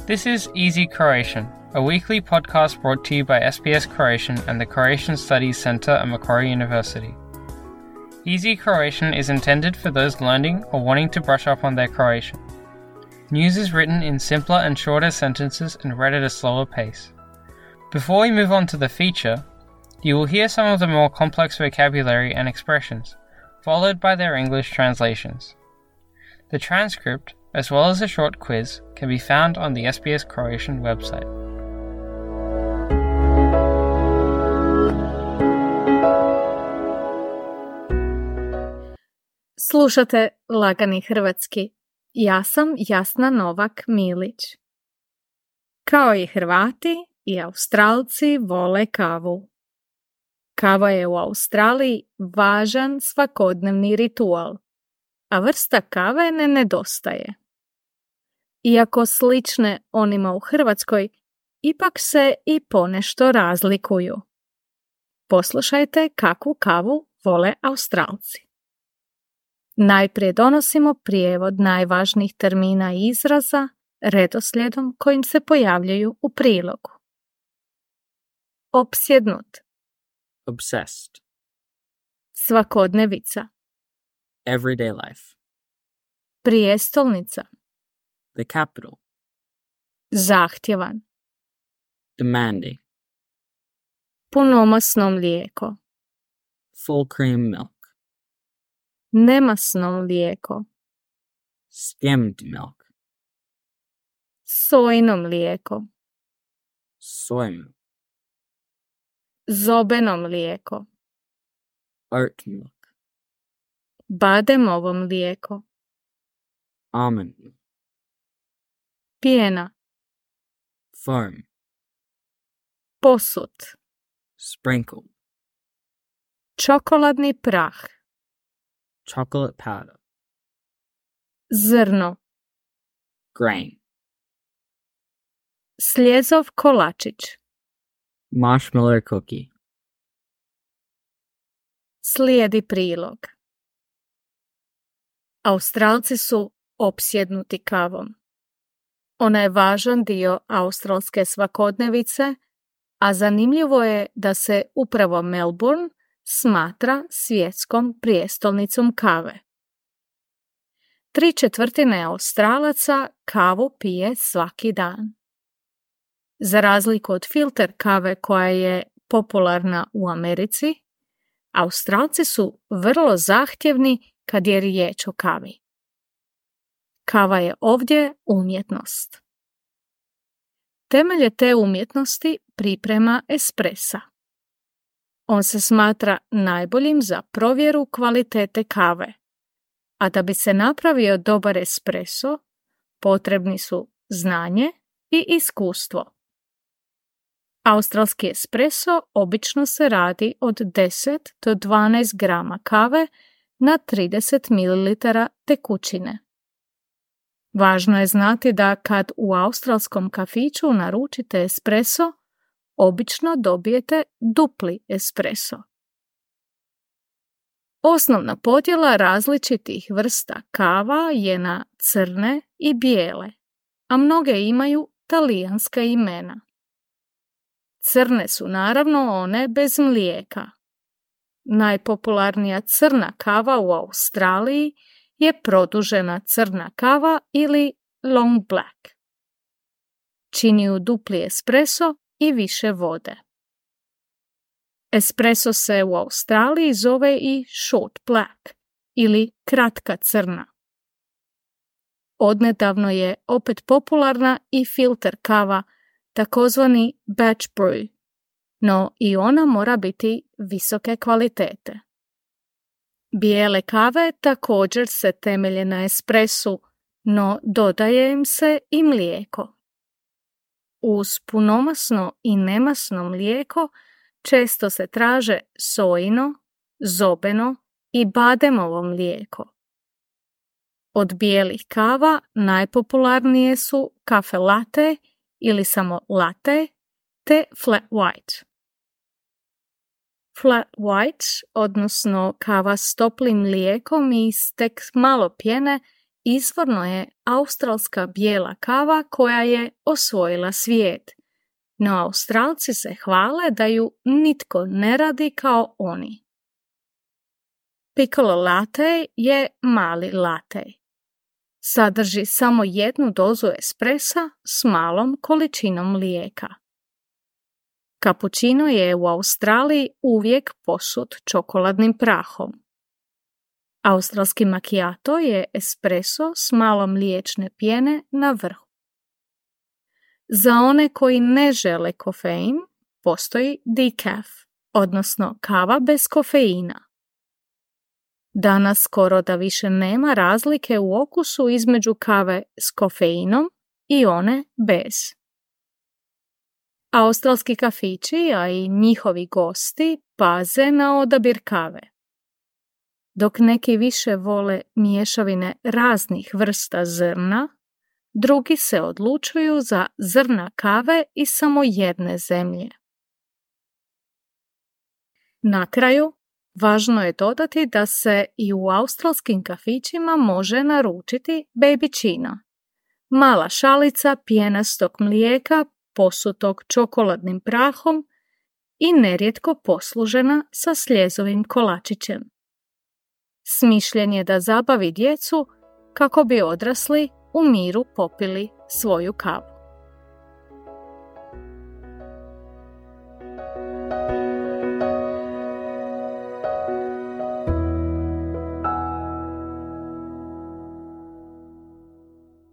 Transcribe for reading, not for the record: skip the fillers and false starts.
This is Easy Croatian, a weekly podcast brought to you by SBS Croatian and the Croatian Studies Centre at Macquarie University. Easy Croatian is intended for those learning or wanting to brush up on their Croatian. News is written in simpler and shorter sentences and read at a slower pace. Before we move on to the feature, you will hear some of the more complex vocabulary and expressions, followed by their English translations. The transcript, as well as a short quiz, can be found on the SBS Croatian website. Slušate Lagani hrvatski. Ja sam Jasna Novak Milić. Kao i Hrvati, i Australci vole kavu. Kava je u Australiji važan svakodnevni ritual, a vrsta kave ne nedostaje. Iako slične onima u Hrvatskoj, ipak se i ponešto razlikuju. Poslušajte kakvu kavu vole Australci. Najprije donosimo prijevod najvažnijih termina i izraza redoslijedom kojim se pojavljaju u prilogu. Opsjednut. Obsessed. Svakodnevica. Everyday life. Prijestolnica. The capital. Zahtjevan. Demanding. Punomasno mlijeko. Full cream milk. Nemasno mlijeko. Skimmed milk. Sojino mlijeko. Soy milk. Zobeno mlijeko. Oat milk. Bademovo mlijeko. Almond milk. Pjena. Foam. Posut. Sprinkled. Čokoladni prah. Chocolate powder. Zrno. Grain. Sljezov kolačić. Marshmallow cookie. Slijedi prilog. Australci su opsjednuti kavom. Ona je važan dio australske svakodnevice, a zanimljivo je da se upravo Melbourne smatra svjetskom prijestolnicom kave. 3/4 Australaca kavu pije svaki dan. Za razliku od filter kave koja je popularna u Americi, Australci su vrlo zahtjevni kad je riječ o kavi. Kava je ovdje umjetnost. Temelje te umjetnosti priprema espressa. On se smatra najboljim za provjeru kvalitete kave, a da bi se napravio dobar espresso, potrebni su znanje i iskustvo. Australski espresso obično se radi od 10 do 12 grama kave na 30 ml tekućine. Važno je znati da kad u australskom kafiću naručite espresso, obično dobijete dupli espresso. Osnovna podjela različitih vrsta kava je na crne i bijele, a mnoge imaju talijanska imena. Crne su naravno one bez mlijeka. Najpopularnija crna kava u Australiji je produžena crna kava ili long black. Čini ju dupli espresso i više vode. Espresso se u Australiji zove i short black ili kratka crna. Odnedavno je opet popularna i filter kava, takozvani batch brew, no i ona mora biti visoke kvalitete. Bijele kave također se temelje na espressu, no dodaje im se i mlijeko. Uz punomasno i nemasno mlijeko često se traže sojino, zobeno i bademovo mlijeko. Od bijelih kava najpopularnije su kafe latte ili samo latte te flat white. Flat white, odnosno kava s toplim mlijekom i s tek malo pjene, izvorno je australska bijela kava koja je osvojila svijet. No Australci se hvale da ju nitko ne radi kao oni. Piccolo latte je mali latte. Sadrži samo 1 dozu espresa s malom količinom mlijeka. Cappuccino je u Australiji uvijek posut čokoladnim prahom. Australski macchiato je espresso s malo mliječne pjene na vrhu. Za one koji ne žele kofein, postoji decaf, odnosno kava bez kofeina. Danas skoro da više nema razlike u okusu između kave s kofeinom i one bez. Australski kafići, a i njihovi gosti, paze na odabir kave. Dok neki više vole mješavine raznih vrsta zrna, drugi se odlučuju za zrna kave iz samo jedne zemlje. Na kraju, važno je dodati da se i u australskim kafićima može naručiti babyčina, mala šalica pjenastog mlijeka posutog čokoladnim prahom i nerijetko poslužena sa sljezovim kolačićem. Smišljen je da zabavi djecu kako bi odrasli u miru popili svoju kavu.